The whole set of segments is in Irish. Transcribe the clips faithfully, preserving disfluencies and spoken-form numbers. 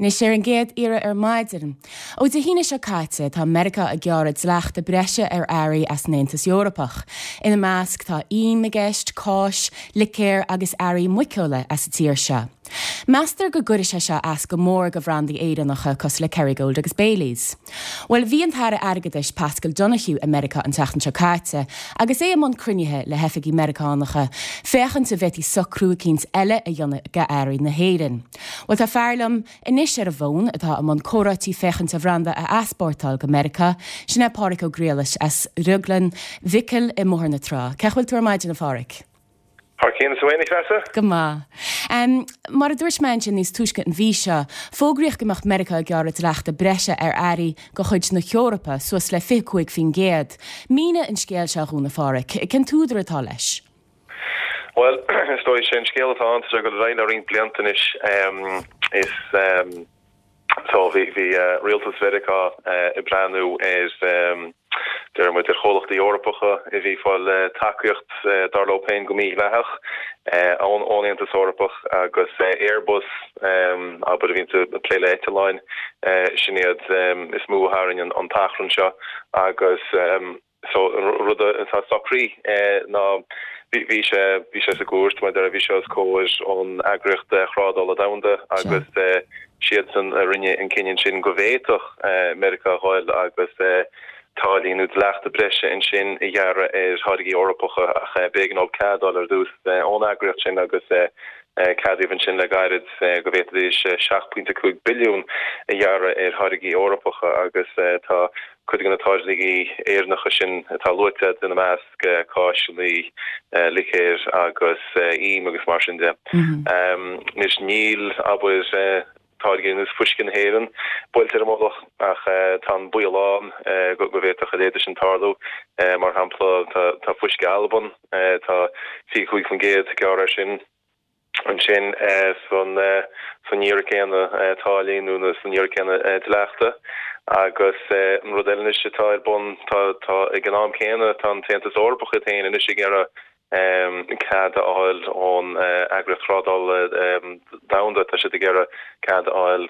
Anois ar an gcéad iarraidh ar maidin. Ó Dé hAoine seo caite tá Meiriceá ag gearradh dleachta breise ar earraí as an Aontas Eorpach. Ina measc tá im i gceist, cáis, licéir agus earraí muiceola as an tír seo. Meastar go gcuirfidh sé seo as go mór go bhrandaí Éireannacha cosúil le Kerrygold agus Baileys. Well bhí an tAire Airgeadais Paschal Donohoe i Meiriceá an tseachtain seo caite, agus é i mbun cruinnithe le hoifigigh Meiriceánacha féachaint an bhféadfaí socrú eicínt eile a dhéanamh go earraí na hÉireann. Well tá fear liom anois ar an bhfón atá i mbun comhráití féachaint a bhranda a easpórtáil go Meiriceá, sin é Páraic Ó Griallais as Drioglann Mhicil i mBóthar na Trá. Cén chaoi a bhfuil tú ar maidin a Pháraic? Thar cionn is tú féin a Threasa? Go maith. Um, mar a dúirt mé ansin níos túisce an mhí seo, fógraíodh go mbeadh Meiriceá ag gearradh dleachta breise ar earraí de chuid na hEorpa suas le fiche cúig faoin gcéad. Mínigh an scéal seo dhúinn a Pháraic, cén t-údar atá leis? Well, is dóigh sé an scéal atá ann go raibh le roinnt blianta anois is um, so bhí bhí uh, rialtas Mheiriceá uh, ag breathnú ar um, deir muid ar chomhlachtaí Eorpacha a bhí ag fáil uh, tacaíocht uh, dar leo féin go mídhleathach uh, ón ón Aontas Eorpach agus uh, Airbus um, abair a bhíonn ag plé le eitleáin uh, sin iad um, is mó a tharraing an, an t-achrann seo agus um, so rud atá socraithe eh, ná bhí sé bhí sé sa gcúirt mar bhí sé os comhair an eagraíocht thrádála domhanda agus eh, siadsan a rinne an cinneadh sin go bhféadfadh eh, Meiriceá a ghabháil agus táillí nó dleachta breise ansin a ghearradh ar tháirgí Eorpacha ach b'éigean dóibh cead a fháil ar dtús ón eagraíocht sin agus ceadaíodh ansin le gairid go bhféadfaidís seacht pointe cúig billiún a ghearradh ar tháirgí Eorpacha agus tá cuid de na táirgí Éireannacha sin atá luaite ina measc cáiseanna, licéir agus im agus mar sin de. Anois níl abair táirgí ar nós fuisce na hÉireann buailte ar a mullach ach tá an baol ann go bhféadfadh a leithéid sin tarlú mar shampla tá fuisce Alban tá fiche cúig faoin gcéad gearrtha air sin ansin san san iarraidh céanna táillí nó san iarraidh céanna dleachta agus an rud eile anois atá ar bun tá tá ag an am céanna tá an tAontas Eorpach iad féin anois ag iarraidh cead a fháil ón eagraíocht thrádála domhanda tá siad ag iarraidh cead a fháil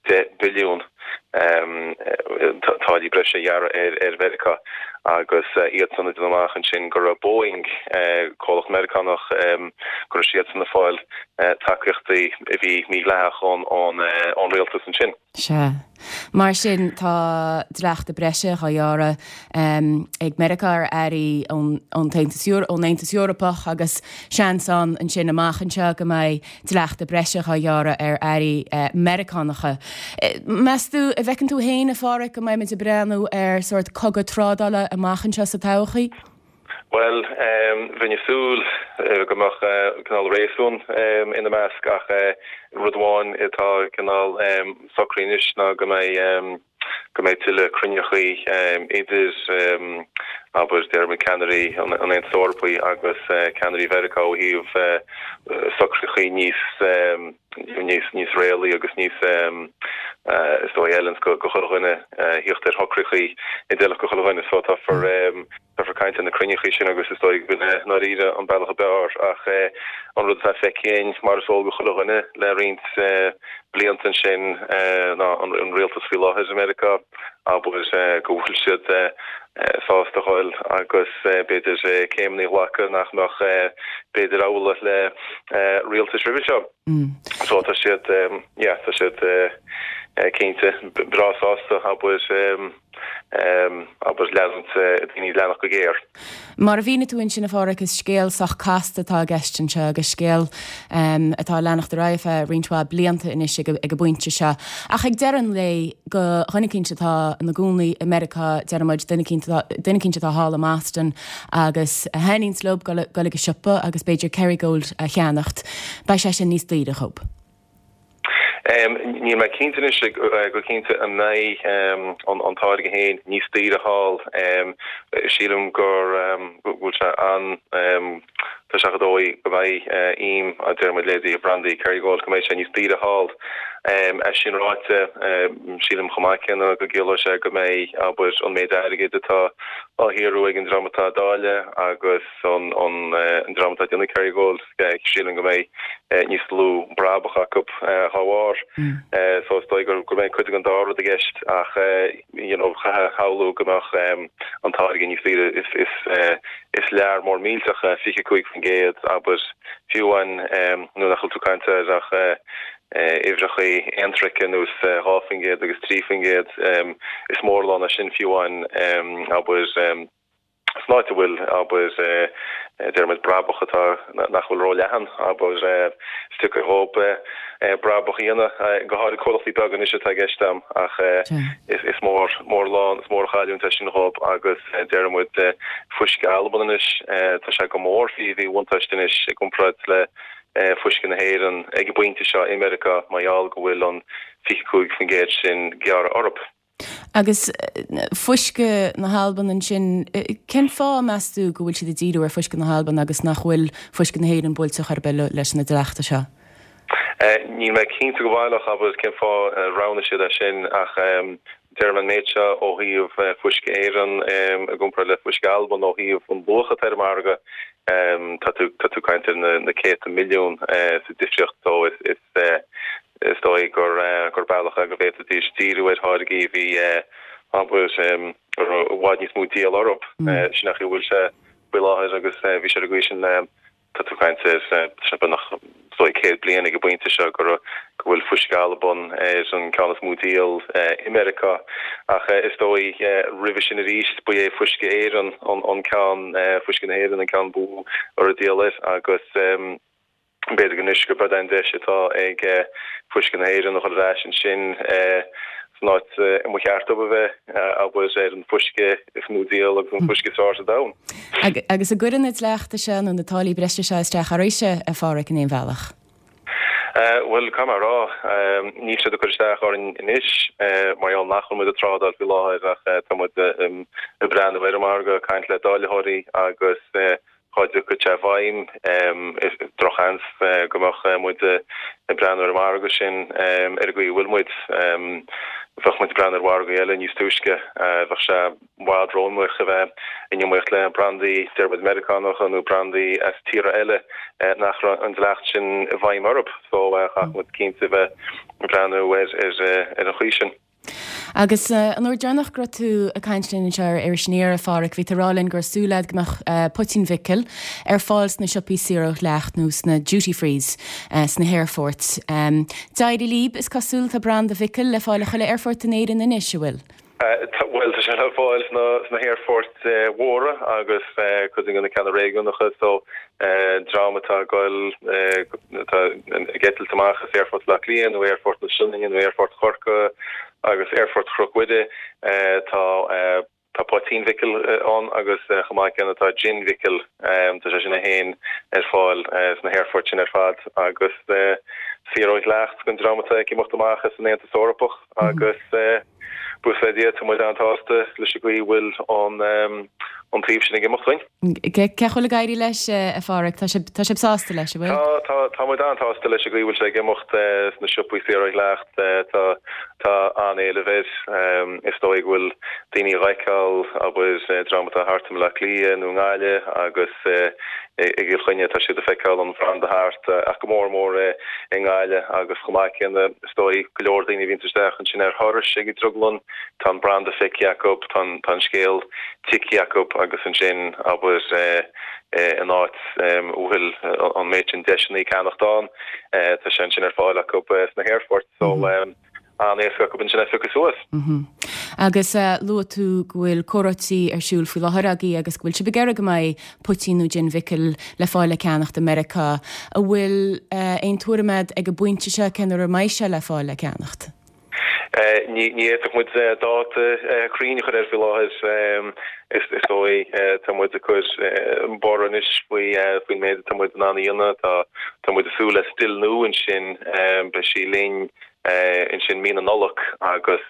deich billiún táillí breise a ghearradh ar ar Mheiriceá agus iadsan ag déanamh amach ansin go raibh Boeing comhlacht Meiriceánach go raibh siadsan ag fáil tacaíochtaí a bhí mídhleathach ón ón ón rialtas ansin. Sea. Mar sin tá dleachta breise á ghearradh ag Meiriceá ar earraí ón ón ón Aontas Eorpach agus seans ann ansin amach anseo go mbeidh dleachta breise á ghearradh ar earraí Meiriceánacha. Meas tú an bhfeiceann tú féin a Pháraic go mbeimid ag breathnú ar sórt cogadh trádála amach anseo sa todhchaí? Well, bheinn ag súil go mbeadh cineál réasún ina measc ach rud amháin atá cineál socraithe anois ná go mbeidh go mbeidh tuilleadh cruinnithe idir abair deir ceannairí an Aontais Eorpaigh agus ceannairí Mheiriceá ó thaobh socruithe níos níos níos réalaí agus níos is dóigh eile go go chuile dhuine theacht ar shocruithe a d'fheilfeadh go chuile dhuine so táfar táfar caint na cruinnithe sin agus is dóigh go ndáiríre an bealach ab fhearr ach an rud atá feicthe mar is eol go chuile dhuine le roinnt blianta ansin ná an rialtas faoi láthair i Meiriceá abair go bhfuil siad sásta a ghabháil agus b'fhéidir céimeanna a ghlacadh nach mbeadh b'fhéidir amhlaidh le rialtais roimhe seo. So tá siad yeah tá siad cinnte breá sásta abair abair leanúint daoine leanacht go géar. Mar a mhínigh tú ansin a Pháraic is scéal sách casta atá i gceist anseo agus scéal um, atá ag leanacht ar aghaidh feadh roinnt mhaith blianta anois ag, ag an bpointe seo. Ach ag deireadh an lae go dhuine eicínt atá ina gcónaí i Meiriceá deirimid duine eicínt atá thall i mBoston agus a thaitníonns leo dul ag an siopa agus b'fhéidir Kerrygold a cheannacht, beidh sé sin níos daoire dhóibh. Um, níl mé cinnte anois go cinnte an mbeidh um, an, an táirge féin níos daoire thall um, sílim gur um, bhfuil sé an um, tá sé dóigh go mbeidh uh, im a deir leidí brandaí Kerrygold go mbeidh sé níos daoire thall É sin ráite, sílim chomh maith céanna go gciallóidh sé go mbeidh, abair, an méid airgid atá á shaothrú ag an dream atá ag dáileadh agus an dream atá ag déanamh Kerrygold, sílim go mbeidh níos lú brabach acu dá bharr. So is dóigh go mbeidh cuid den dá rud i gceist ach you know chaithfeá a shamhlú go mbeadh an táirge níos saoire. Is lear mór millteach é fiche cúig faoin gcéad, abair, fiú amháin nuair nach bhfuil tú ag caint ar ach uimhreacha aontroice ar nós dhá faoin gcéad agus trí faoin gcéad. Is mór an lán é sin fiú amháin, abair, san áit a bhfuil, abair, deir muid brabach atá nach bhfuil róleathan, abair, is deacair dhóibh brabach a dhéanamh, go háirid comhlachtaí beaga anois atá i gceist a'm, ach is mór, mór an lán, is mór an chailliúint é sin dhóibh agus deir muid fuisce Alban anois, tá sé go mór faoi mhíbhuntáiste anois i gcomparáid le fuisce na hÉireann ag an bpointe seo i Meiriceá mar gheall go bhfuil an fiche cúig faoin gcéad sin gearrtha orthu. Agus fuisce na hAlban ansin, cén fáth, meas tú, go bhfuil siad ag díriú ar fuisce na hAlban agus nach bhfuil fuisce na hÉireann buailte chor ar bith leis na dleachta seo? Níl mé cinnte go baileach, abair, cén fáth a roghnaigh siad é sin ach deirim an méid seo ó thaobh fuisce Éireann i gcomparáid le fuisce Alban ó thaobh an luach atá ar an margadh, tá tú tá tú ag caint ar na céadta milliún sa difríocht so is is is dóigh gur gur bealach é go bhféadfaidís díriú ar tháirgí a bhí abair a raibh i bhfad níos mó díol orthu. Sin é an chaoi a bhfuil sé faoi láthair agus bhí sé ar an gcaoi sin le Tá tú ag caint ar sé beagnach is dóigh céad bliain ag an bpointe seo go raibh go bhfuil fuisce Alban ar an ceann is mó díol i Meiriceá ach is dóigh roimhe sin arís ba é fuisce Éireann an ceann fuisce na hÉireann an ceann ba mhó a raibh díol air agus b'fhéidir anois gurb é an deis atá ag fuisce na hÉireann a dhul ar ais ansin san áit a mba cheart dóibh a bheith, abair, ar an fuisce is mó díol agus an fuisce is fearr sa domhan. Agus an gcuireann na dleachta seo nó na táillí breise seo isteach oraibhse, a Pháraic, in aon bhealach? Bhuel, caithfidh mé a rá, níl siad ag cur isteach orainn anois mar gheall nach bhfuil muid ag trádáil faoi láthair ach tá muid ag breathnú ar an margadh, ag caint le dáilitheoirí agus Dhá dtiocfadh sé i bhfeidhm, is drochsheans go mbeadh muid ag breathnú ar an margadh sin ar an gcaoi a bhfuil muid. Bheadh muid ag breathnú ar mhargaí eile níos túisce. Bheadh sé i bhfad róiomaíoch a bheith in iomaíocht le brandaí, deir muid, Meiriceánacha nó brandaí as tíortha eile nach raibh an dleacht sin i bhfeidhm orthu. So chaithfeadh muid cinnte a bheith ag breathnú ar an chaoi sin. Agus an uair deireanach go raibh tú ag caint linn anseo ar Iris Aniar, a Pháraic, bhí tú ag rá linn go raibh súil agat go mbeadh poitín Mhicil ar fáil sna siopaí saor ó dhleacht nó sna duty frees sna haerfoirt. D'éirigh libh, is cosúil, tá branda Mhicil le fáil i chuile aerfort in Éirinn anois, an bhfuil? Bhuel, tá sé le fáil sna haerfoirt mhóra agus cuid de na ceanna réigiúnacha so dream atá ag goil, atá ag eitilt amach as Aerfort Bhaile Átha Cliath nó Aerfort na Sionainne nó Aerfort Chorcaí agus Aerfort Chnoc Mhuire, tá tá poitín Mhicil ann agus chomh maith céanna tá jin Mhicil, tá sé sin féin ar fáil sna haerfoirt sin ar fad agus saor ó dhleacht don dream atá ag imeacht amach as an Aontas Eorpach agus Buíochas le Dia, tá muid an-tsásta leis an gcaoi a bhfuil an taobh sin ag imeacht dúinn. Cén chaoi a bhfuil ag éirí leis, a Pháraic? Tá sibh, tá sibh sásta leis, an bhfuil? Tá, tá, tá muid an-tsásta leis an gcaoi a bhfuil sé ag imeacht sna siopaí saor ó dhleacht. Tá, tá an-éileamh air. Is dóigh go bhfuil daoine á fheiceáil, abair, dream atá thart i mBaile Átha Cliath nó i nGaillimh agus i gCill Chainnigh, tá siad ag feiceáil an bhranda thart, ach go mór mór i nGaillimh agus chomh maith céanna, is dóigh, go leor daoine a bhíonns isteach ansin ar thurais ag an drioglann, tá an branda feicthe acu, tá an scéal tuigthe acu agus ansin, abair, in áit a bhfuil an méid sin deiseanna ceannacht ann, tá sé ansin ar fáil acu sna haerfoirt. So. an-éasca acu ansin é a phiocadh suas. Agus luaigh tú go bhfuil comhráití ar siúl faoi láthair agaibh agus go bhfuil sibh ag iarraidh go mbeidh poitín nó jin Mhicil le fáil le ceannacht i Meiriceá. An bhfuil aon tuairim agat ag an bpointe seo cén uair a mbeidh sé le fáil le ceannacht? Ní fhéadfadh muid dáta cruinn a chur air faoi láthair. Is dóigh, tá muid ag cur borradh anois faoi faoin méid atá muid in ann a dhéanamh. Tá muid ag súil le still nua ansin. Beidh sí linn ansin mí na Nollag agus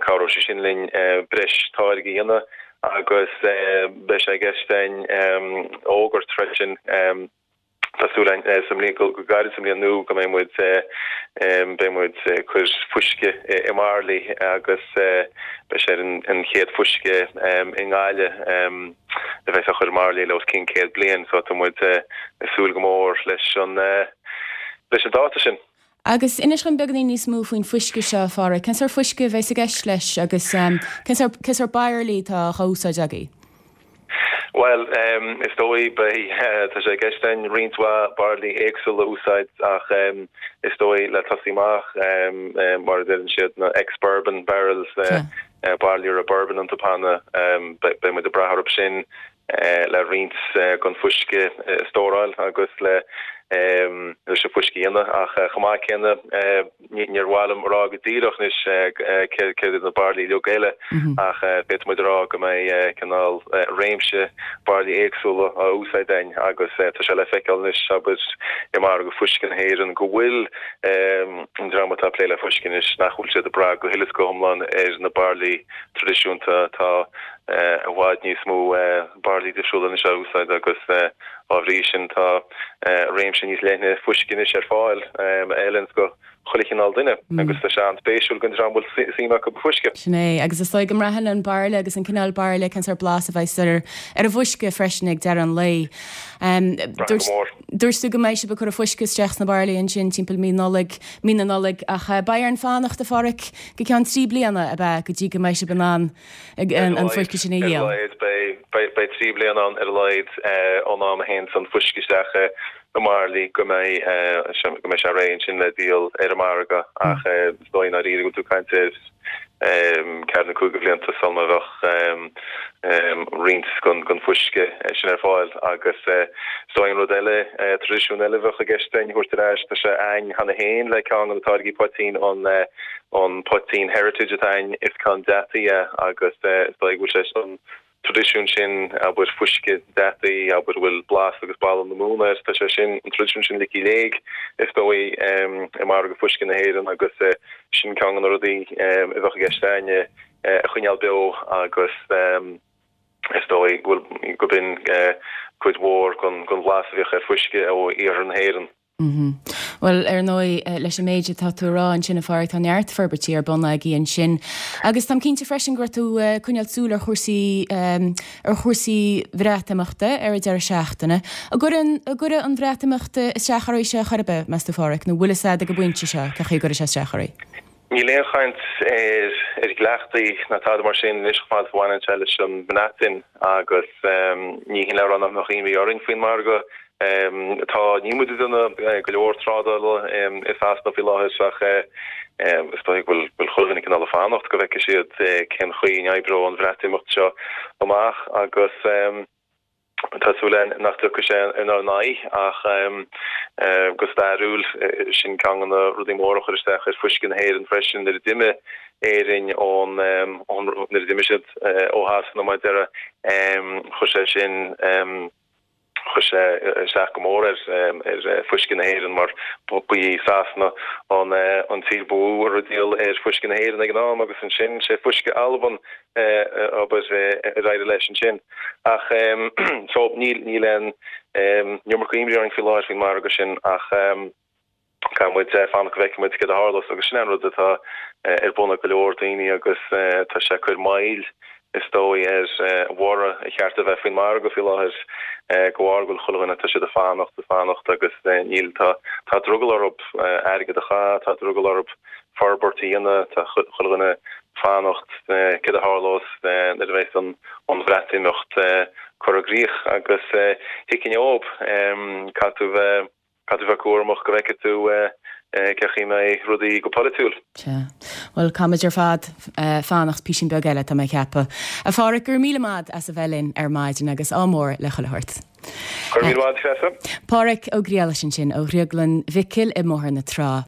cabhróidh sé sin linn breis táirge a dhéanamh agus beidh sé i gceist againn fhógairt freisin Tá súil againn sa mbliain, go gairid sa mbliain nua go mbeidh muid, beidh muid ag cur fuisce i mbairillí agus beidh sé ar an chéad fuisce i nGaillimh a bheas á chur i mbairillí le os cionn céad bliain so tá muid ag súil go mór leis an leis an dáta sin. Agus inis dom beagáinín níos mó faoin fuisce seo, a Pháraic. Cén sórt fuisce a bheas i gceist leis agus cén sórt bairillí atá á úsáid agaibh? Bhuel, is dóigh, beidh, tá sé i gceist againn roinnt mhaith bairillí éagsúla a úsáid ach is dóigh le tosaí amach, mar a deireann siad, na ex-bourbon barrels, bairillí a raibh bourbon iontu cheana, beidh muid ag brath orthu sin le roinnt den fuisce a stóráil agus le leis an fuisce a dhéanamh ach chomh maith céanna níor mhaith liom a rá go díreach anois céard iad na bairillí uilig eile ach féadfaidh muid a rá go mbeidh cineál réimse bairillí éagsúla á úsáid againn agus tá sé le feiceáil anois abair i margadh fuisce na hÉireann go bhfuil an dream atá ag plé le fuisce anois nach bhfuil siad ag brath go huile is go hiomlán ar na bairillí traidisiúnta tá i bhfad níos mó bairillí difriúla anois á úsáid agus dá bhrí sin tá réimse níos leithne fuisce anois ar fáil a fheileanns go chuile chineál duine agus tá sé an-spéisiúil don dream a bhfuil suim acu i bhfuisce. Sin é, agus is dóigh go mbraitheann an bairille agus an cineál bairille cén sórt blas a bheas ar ar an bhfuisce freisin ag deireadh an lae. Braitheann go mór. Dúirt tú go mbeidh sibh ag cur an fuisce isteach sna bairillí ansin timpeall mí Nollag, mí na Nollag, ach beidh orainn fanacht, a Pháraic, go ceann trí bliana, ab ea, go dtí go mbeidh sibh in ann an fuisce sin a Ar a dhíol? laghad, beidh, beidh trí bliana ann ar a laghad ón am a théanns an fuisce isteach i mbairillí go mbeidh, go mbeidh sé réidh ansin le díol ar an margadh ach is dóigh i ndáiríre go bhfuil tú ag caint ar ceathair nó cúig de bhlianta sula mbeadh roinnt den fuisce sin ar fáil agus is dóigh an rud eile, traidisiún eile a bheadh i gceist againn a thabhairt ar ais, tá sé againn cheana féin le ceann de na táirgí poitín, an Poitín Heritage atá againn, is ceann deataí é agus is dóigh go bhfuil sé an traidisiún sin, abair, fuisce deataí, abair, a bhfuil blas agus boladh na móna air, tá sé sin, an traidisiún sin ligthe i léig, is dóigh, i margadh fuisce na hÉireann agus sin ceann de na rudaí a bheadh i gceist againn a choinneáil beo agus is dóigh go bhfuil, go b'in cuid mhór den bhlas a bhíodh ar fuisce ó iarthar na hÉireann. Bhuel, ar ndóigh, leis an méid atá tú a rá ansin, a Pháraic, tá neart forbairtí ar bun agaibh ansin. Agus táim cinnte freisin go raibh tú ag coinneáil súil ar chúrsaí, ar chúrsaí Bhreatimeachta ar an deireadh seachtaine. An gcuireann, an gcuirfidh an Bhreatimeacht isteach oraibhse chor ar bith, meas tú, a Pháraic, nó bhfuil fhios a'd ag an bpointe seo cén chaoi a gcuirfidh sé isteach oraibh? Níl aon chaint ar dhleachtaí ná tada mar sin anois chomh fada is a bhaineann sé leis an mBreatain agus ní hin le rá nach mbeadh imní orainn faoin margadh. Tá, níl muid ag déanamh go leor trádála i Sasana faoi láthair ach is dóigh go bhfuil chuile dhuine cineál ag fanacht go bhfeicfidh siad cén chaoi a n-oibreoidh an Bhreatimeacht seo amach agus Tá súil againn nach dtiocfaidh sé inár n-aghaidh ach go stairiúil, sin ceann de na rudaí móra a chuir isteach ar fuisce na hÉireann freisin nuair a d'imigh Éirinn ón, nuair a d'imigh siad ó Shasana mar a déarfá, chuir sé sin, chuir sé isteach go mór ar fuisce na hÉireann mar ba í Sasana an tír ba mhó a raibh ag díol ar fuisce na hÉireann ag an am agus ansin sé fuisce Alban abair ar éirigh leis ansin. Ach so níl níl aon iomarca imní orainn faoi láthair faoin margadh sin ach caithfidh muid fanacht go bhfeicfidh muid céard a tharlós agus sin an rud atá ar bun ag go leor daoine agus tá sé ag cur moill is dóigh ar bhorradh ar cheart a bheith faoin margadh faoi láthair de bharr go bhfuil chuile dhuine tá siad ag fanacht ag fanacht agus níl tá tá drogall orthu airgead a chaitheamh tá drogall orthu forbairt a dhéanamh tá chuile dhuine fanacht céard a tharlós nuair a bheas an Bhreatimeacht curtha i gcrích agus thuigfinn dhóibh caithfidh tú bheith caithfidh tú bheith cúramach go bhfeicfidh tú cén chaoi a mbeidh rudaí go polaitiúil. Sea. Bhuel, caithfimid ar fad fanacht písín beag eile, tá mé ag ceapadh. A Pháraic, go raibh míle maith as a bheith linn ar maidin agus ádh mór le chuile shórt. Go raibh míle maith, Treasa. Páraic Ó Griallais ansin ó Dhrioglann Mhicil i mBóthar na Trá.